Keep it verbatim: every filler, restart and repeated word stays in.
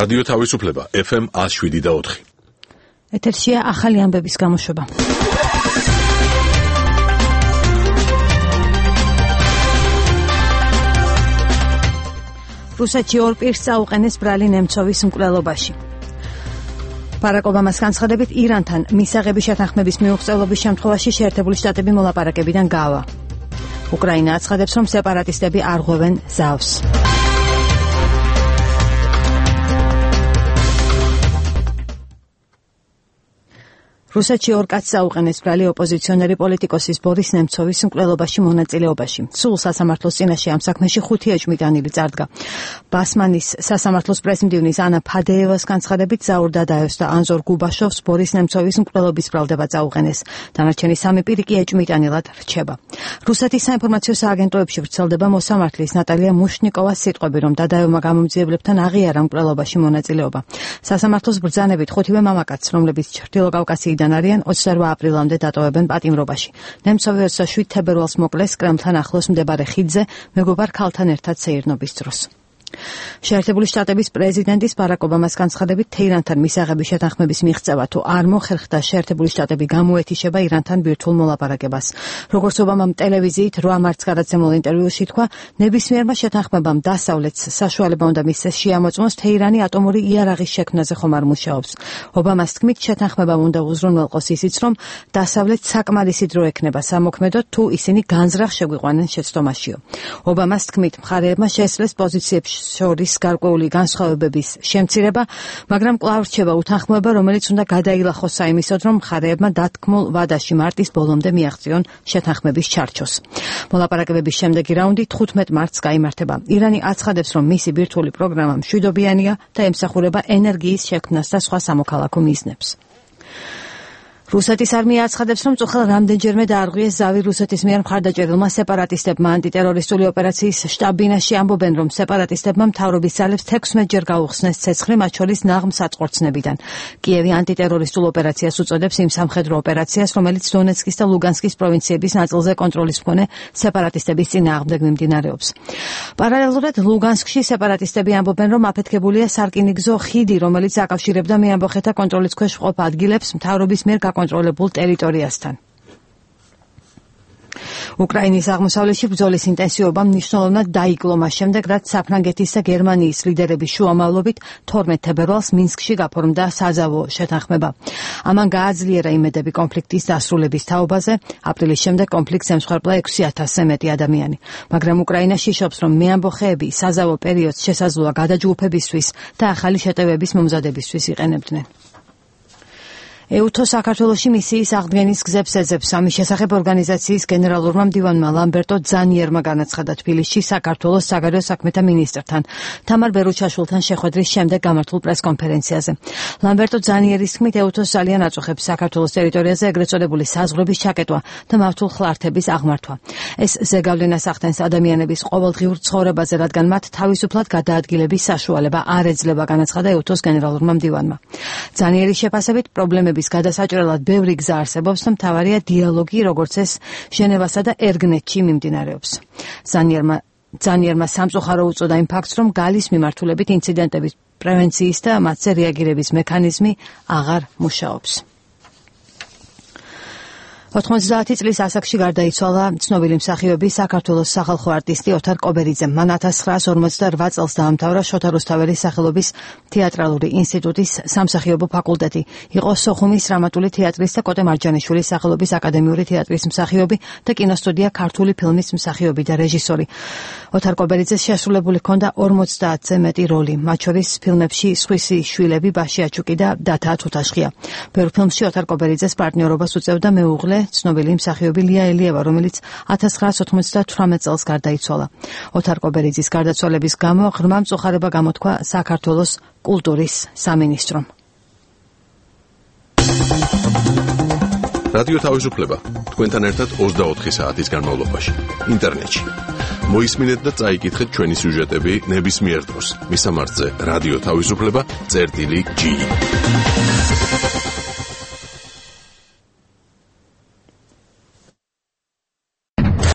რადიო თავისუფლება ეფ ემ ათს შვიდი და ოთხი. ეთერშია ახალი ამბების გამოშვება. რუსეთში ორ პირს წაუყენეს ბრალი ნემცოვის მკვლელობაში. ბარაკ ობამას განცხადებით ირანთან მისაღების შეთანხმების მიუღწევობის შემთხვევაში შეერთებული შტატები მოლაპარაკებიდან გავა. უკრაინა აცხადებს, რომ სეპარატისტები არ ღვევენ ზავს. რუსეთში ორ კაცს აუყენეს ბრალი ოპოზიციონერი პოლიტიკოსის ბორის ნემცოვის მკვლელობაში მონაწილეობაში. სულ სასამართლოს წინაშე ამ საქმეში ხუთი ეჭვმიტანილი წარდგა. ბასმანის სასამართლოს პრესმდივნის ანა ფადეევას განცხადებით ზაურ დადაევს და ანზორ გუბაშოვს ბორის ნემცოვის მკვლელობის ბრალდება წაუყენეს. დანარჩენი სამი პირი კი ეჭვმიტანილად რჩება. რუსეთის საინფორმაციო სააგენტოებში ვრცელდება მოსამართლის ნატალია მუშნიკოვას სიტყვები, რომ დადაევმა გამომძიებლებთან აღიარა მკვლელობაში მონაწილეობა. სასამართლოს ბრძანებით ხუთივე მამაკაცს, რომლებიც ჩრდილოკავკასიიდან არიან ოცდაორ აპრილამდე დატოვებენ პატიმრობაში. ნემცოვი ოცდაშვიდ თებერვალს მოკლეს კრემლთან ახლოს მდებარე ხიდზე მეგობარ ქალთან ერთად სეირნობის დროს. შეერთებული შტატების პრეზიდენტის ბარაკ ობამას განცხადებით თეირანთან მისაღების შეთანხმების მიღწევა თუ არ მოხერხდა შეერთებული შტატები გამოეთიშება ირანთან ბირთვულ მოლაპარაკებას. როგორც ობამამ ტელევიზიით რვა მარტს გადაცემულ ინტერვიუში თქვა, ნებისმიერმა შეთანხმებამ დასავლეთს საშუალება უნდა მისცეს შეამოწმოს თეირანი ატომური იარაღის შექმნაზე ხომ არ მუშაობს. ობამას თქმით, შეთანხმებამ უნდა უზრუნველყოს ისიც, რომ დასავლეთს საკმარისი დრო ექნება სამოქმედოდ თუ ისინი განზრახ შეგვიყვანენ შეცდომაშიო. ობამას თქმით, მხარეებმა შეძლეს პოზიციებში შორის გარკვეული განსხვავებების შემცირება, მაგრამ კვლავ რჩება უთანხმოება, რომელიც უნდა გადაილახოს საიმისოდ, რომ მხარეებმა დათქმულ ვადაში მარტის ბოლომდე მიაღწიონ შეთანხმების ჩარჩოს. მოლაპარაკებების შემდეგი რაუნდი თხუთმეტ მარტს გაიმართება. ირანი აცხადებს, რომ მისი ბირთვული პროგრამა მშვიდობიანია და ემსახურება ენერგიის შექმნას და სხვა სამოქალაქო მიზნებს. რუსეთის არმია აცხადებს, რომ წუხელ რამდენჯერმე დაარღვიეს ზავი რუსეთის მიერ მხარდაჭერილმა სეპარატისტებმა. ანტიტერორისტული ოპერაციის შტაბ-ბინაში ამბობენ, რომ სეპარატისტებმა მთავრობის ძალებს თექვსმეტჯერ გაუხსნეს ცეცხლი, მათ შორის ნაღმ საწყვორცნებიდან. კიევი ანტიტერორისტულ ოპერაციას უწოდებს იმ სამხედრო ოპერაციას, რომელიც დონეცკის და ლუგანსკის პროვინციების ნაწილზე კონტროლის მქონე სეპარატისტების წინააღმდეგ მიმდინარეობს. პარალელურად ლუგანსკში სეპარატისტები ამბობენ, რომ აფეთქებულია სარკინიგზო ხიდი, რომელიც აკავშირებდა მეამბოხეთა კონტროლის ქვეშ მყოფ ადგილებს მთავრობის მიერ კონტროლებულ ტერიტორიასთან. უკრაინის აღმოსავლეთში ბრძოლის ინტენსივობა მნიშვნელოვნად დაიკლო მას შემდეგ, რაც საფრანგეთის და გერმანიის ლიდერების შუამავლობით თორმეტ თებერვალს მინსკში გაფორმდა საზავო შეთანხმება. ამან გააძლიერა იმედები კონფლიქტის დასრულების თაობაზე. აპრილის შემდეგ კონფლიქტს ემსხვერპლა ექვსი ათასზე მეტი ადამიანი. მაგრამ უკრაინა შიშობს, რომ მეამბოხეები საზავო პერიოდს შესაძლოა გადაჯგუფებისთვის და ახალი შეტევების მომზადებისთვის იყენებდნენ. ეუთო საქართველოში მისიის აღდგენის გზებს ეძებს. ამის შესახებ ორგანიზაციის გენერალურმა მდივანმა ლამბერტო ძანიერმა განაცხადა თბილისში საქართველოს საგარეო საქმეთა მინისტრთან თამარ ბერუჩაშვილთან შეხვედრის შემდეგ გამართულ პრესკონფერენციაზე. ლამბერტო ძაnieრის თქმით, ეუთოს ძალიან აწუხებს საქართველოს ტერიტორიაზე ეგრეთ წოდებული საზღვრების ჩაკეტვა და მავთულ ხლართების აღმართვა. ეს ზეგავლენას ახდენს ადამიანების ყოველდღიურ ცხოვრებაზე, რადგან მათ თავისუფლად გადაადგილების საშუალება არ ეძლება, განაცხადა ეუთოს გენერალურმა მდივანმა. ძაnieრის შეფასებით პრობლემები გადასაჭრელად ბევრი გზა არსებობს და მთავარია დიალოგი, როგორც ეს ჟენევასა და ერგნეთში მიმდინარეობს. ზანიერმა ზანიერმა სამწუხარო უწოდა იმ ფაქტს, რომ გალის მიმართულებით ინციდენტების პრევენციის და მათზე რეაგირების მექანიზმი აღარ მუშაობს. ოთხმოცდაათი წლის ასაკში გარდაიცვალა ცნობილი მსახიობი საქართველოს სახალხო არტისტი ოთარ კობერიძე. მან ათას ცხრაას ორმოცდაორვა წელს დაამთავრა შოთა რუსთაველის სახელობის თეატრალური ინსტიტუტის სამსახიობო ფაკულტეტი. იყო სოხუმის დრამატული თეატრის და კოტე მარჯანიშვილის სახელობის აკადემიური თეატრის მსახიობი და კინოსტუდია ქართული ფილმის მსახიობი და რეჟისორი. ოთარ კობერიძეს შესრულებული ჰქონდა ორმოცდაათზე მეტი როლი, მათ შორის ფილმებში სხვისი შვილები, ბაში აჩუკი და დათა თუთაშხია. ბევრ ფილმში ოთარ კობერიძეს პარტნიორობას უწევდა მეუღლე ცნობილი მსახიობი ლია ელიევა, რომელიც ათას ცხრაას ოცდათვრამეტ წელს გარდაიცვალა. ოთარ კობერიძის გარდაცვალების გამო ღრმა მწუხარება გამოთქვა საქართველოს კულტურის სამინისტრომ. რადიო თავისუფლება თქვენთან ერთად ოცდაოთხი საათის განმავლობაში ინტერნეტში. მოისმინეთ და წაიკითხეთ ჩვენი სიუჟეტები ნებისმიერ დროს. მისამართზე რადიო თავისუფლება წერტილი ჯი.